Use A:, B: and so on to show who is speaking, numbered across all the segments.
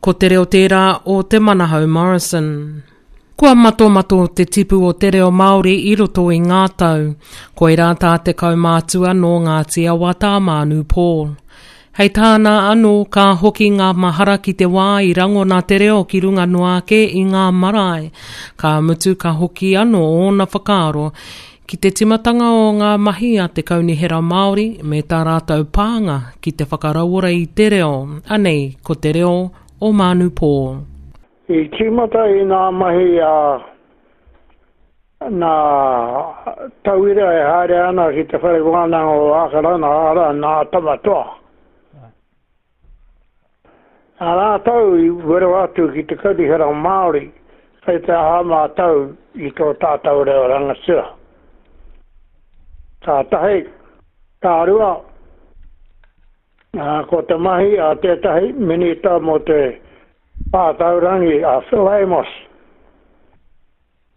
A: Ko te reo tērā o Te Manahau Morrison. Kua matomato te tipu o te reo Māori i roto i ngā tau. Koirā tā te kaumātua nō Ngāti Awa tā Mānu Paul. Hei tāna anō, ka hoki ngā mahara ki te wā i rangona te reo ki runga noa ake i ngā marae. Ka mutu ka hoki anō ōna whakaaro Ki te timatanga o ngā mahi a te Kaunihera Māori me tā rātou pānga ki te whakarauora i te reo, anei ko te reo o Mānu Paul.
B: I tīmata i ngā mahi a ngā tauira e haere ana ki te Whare Wānanga o Ākarana, arā, nā Tamatoa. Nā rātou i wero atu ki te Kaunihera Māori kei te aha mātou i tō tātou reo rangatira. Ka tahi, ka rua, ko te mahi a tētahi Minita mō te Pātaurangi a Phil Amos,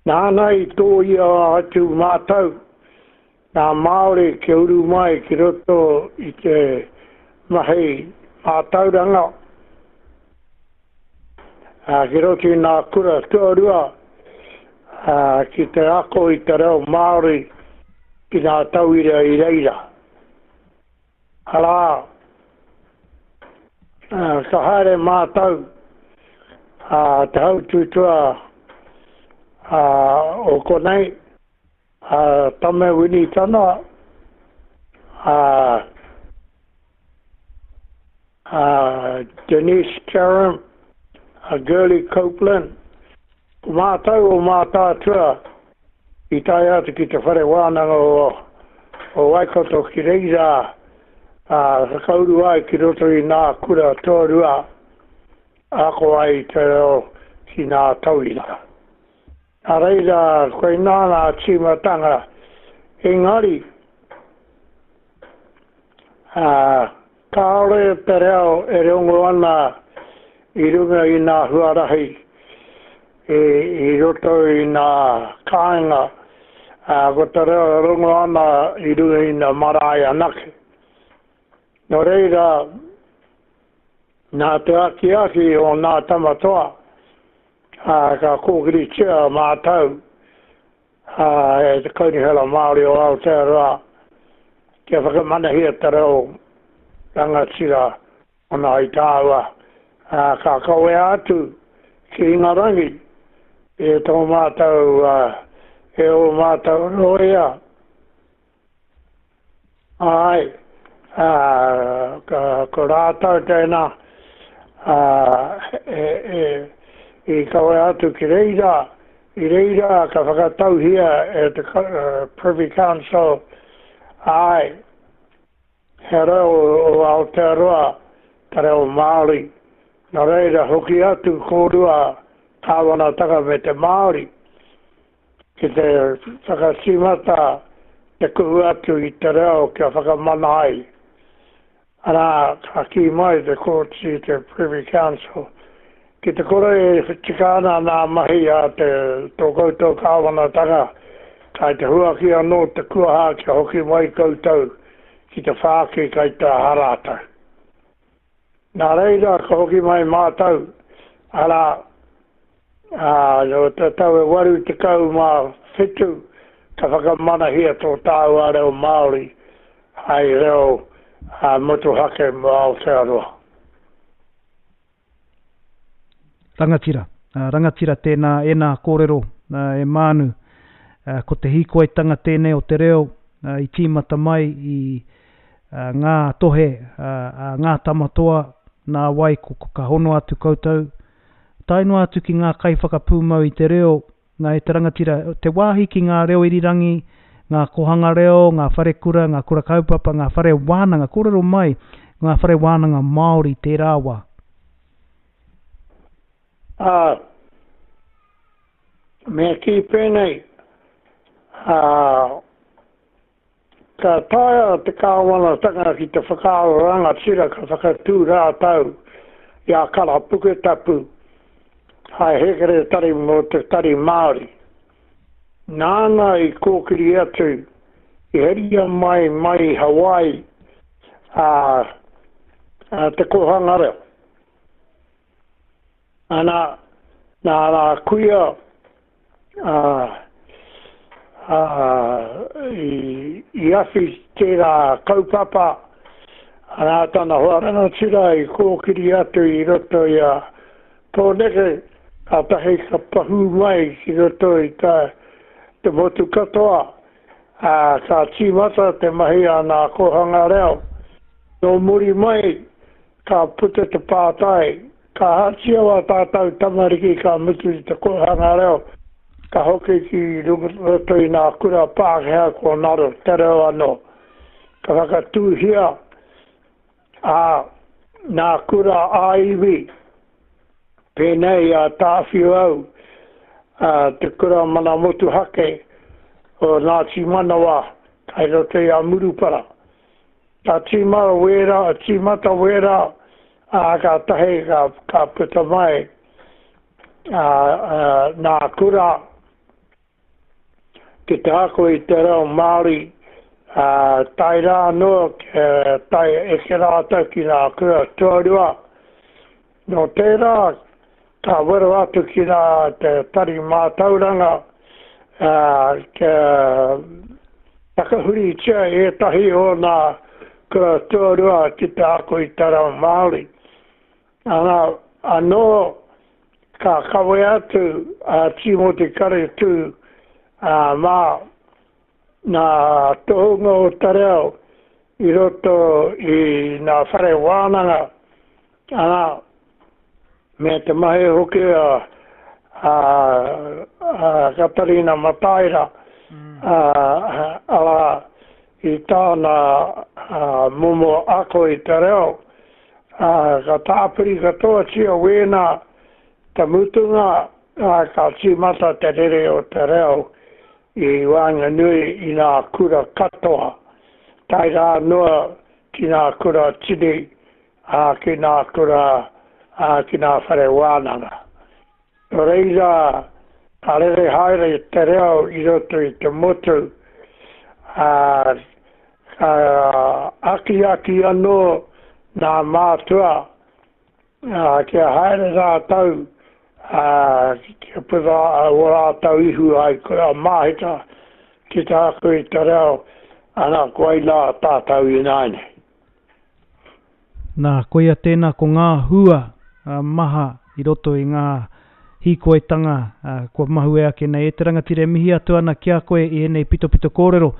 B: Nāna i tōia atu mātou, ngā Māori kia uru mai ki roto i te mahi mātauranga, ā, ki roto i ngā kura tuarua, ā, ki te ako i te reo Māori ki ngā tauira i reira. Arā, ka haere mātou, a Te Hautūtua o konei, a Tame Winitana, a a Denise Karam, a Girlie Copeland, ko mātou o Mātaatua i tae atu ki te whare wānanga o, o Waikato ki reira a, whakauru ai ki roto i nā kura tuarua ako ai i te reo ki nā tauira. Nā reira, koinā ngā tīmatanga, engari, ā, kāore te reo e rongo ana i runga i ngā huarahi, i, i roto i ngā kāinga, ā, ko te reo e rongo ana i runga i ngā marae anake. Nō reira, nā te akiaki o ngā tama toa, ā, ka kōkiritia mātou ā, e te Kaunihera Māori o Aotearoa kia whakamanahia te reo rangatira o Ngāi Tāua, ā, ka kawea atu ki Ingarangi e tō mātou, ā, e ō mātou rōia. Āe, ā, ka, ko rātou tēnā, ā, e, e, i kawea atu ki reira, i reira ka whakatauhia e te Privy Council, āe, he reo o Aotearoa te reo Māori, nō reira hoki atu kōrua kāwanatanga me te Māori. Ki te whakatīmata te kuhu atu i te reo kia whakamana ai. Arā, ka kī mai te Kōti, te Privy Council, ki te kore e tika ana nā mahi a te tō koutou kāwanatanga, kai te huaki anō te kuaha kia hoki mai koutou ki te whāki kai te aha rātou. Nā reira ka hoki mai mātou, arā, ā, nō te tau e 87 ka whakamanahia tō tāua reo Māori hai reo motuhake mō Aotearoa.
C: Rangatira. Rangatira tēnā, ēnā kōrero e Mānu. Ko te hīkoitanga tēnei o te reo i tīmata mai i ngā tohe a ngā tamatoa, nā wai ko ka hono atu koutou, tae noa atu ki ngā kaiwhakapūmau i te reo, nā e te rangatira, te wāhi ki ngā reo irirangi, ngā kohanga reo, ngā wharekura, ngā kura kaupapa, ngā whare wānanga, kōrero mai ngā whare wānanga Māori tērā wā.
B: Ā, me kī pēnei, ā, Ka taea te kāwanatanga ki te whakaaro rangatira ka whakatū rātau i a Kara Puketapu hai hēkeretari mō te Tari Māori. Nāna i kōkiri atu, i heria mai mai i Hawaii a, a Te Kōhanga Reo. Ana, nā nā kuia ā, ā, i, i awhi tērā kaupapa, nā tana hoa rangatira i kōkiri atu i roto i a Pōneke, kātahi ka pahū mai ki roto i ta, te motu katoa, ā, ka tīmata te mahi a nā kōhanga reo. Nō muri mai, ka puta te pātai, ka ahatia wā tātou tamariki ka mutu i te kōhanga reo, ka hoki ki roto i nā kura Pākehā ko ngaro te reo anō. Ka whakatūhia a nā kura ā-iwi, pēnei i a Tāwhiuau, te kura mana motuhake o Ngāti Manawa kai roto i a Murupara. Ka tīmata wērā, tīmata wērā, ā, kātahi ka, ka puta mai ā, ā, nā kura ki te ako i te reo Māori, ā, tae rā anō, tae eke rātou ki ngā kura tuarua. Nō tērā, ka wero atu ki rā te tari mātauranga, ā, kia takahuritia ētahi o nā kura tuarua ki te ako i te reo Māori. Ana, anō ka kawe atu a Tīmoti Karetū, ā, mā nā tohunga o te reo i roto i nā whare wānanga, ana, me te mahi hoki a, a, a Katarina Mataira, a, arā, i tāna a, momo ako i te reo, a, ka tāpiri katoatia wēnā te mutunga, a, ka tīmata te rere o te reo i waenganui i ngā kura katoa, tae rā noa ki ngā kura tini, ā, ki ngā kura, ā, ki ngā whare wānanga. Nō reira, ka rere haere te reo i roto i te motu, ā, ka akiaki anō ngā mātua Ā, kia haere rātou, ā, kia puta ō rātou ihu ai kura māhita ki te ako i te reo, ana, koinā tātou ināianei.
C: Nā, koia tēnā ko ngā hua maha i roto i ngā hīkoitanga kua mahue ake nei. E te rangatira e mihi atu ana ki a koe i ēnei pitopito kōrero.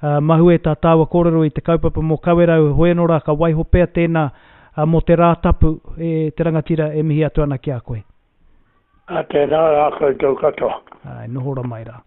C: Mahue tā tāua kōrero i te kaupapa mō Kawerau, hoi anō rā ka waiho pea tēnā mō te Rā Tapu, e te rangatira e mihi atu ana ki a koe.
B: Ā, tēnā rā koutou katoa.
C: Āe, noho ra mai rā.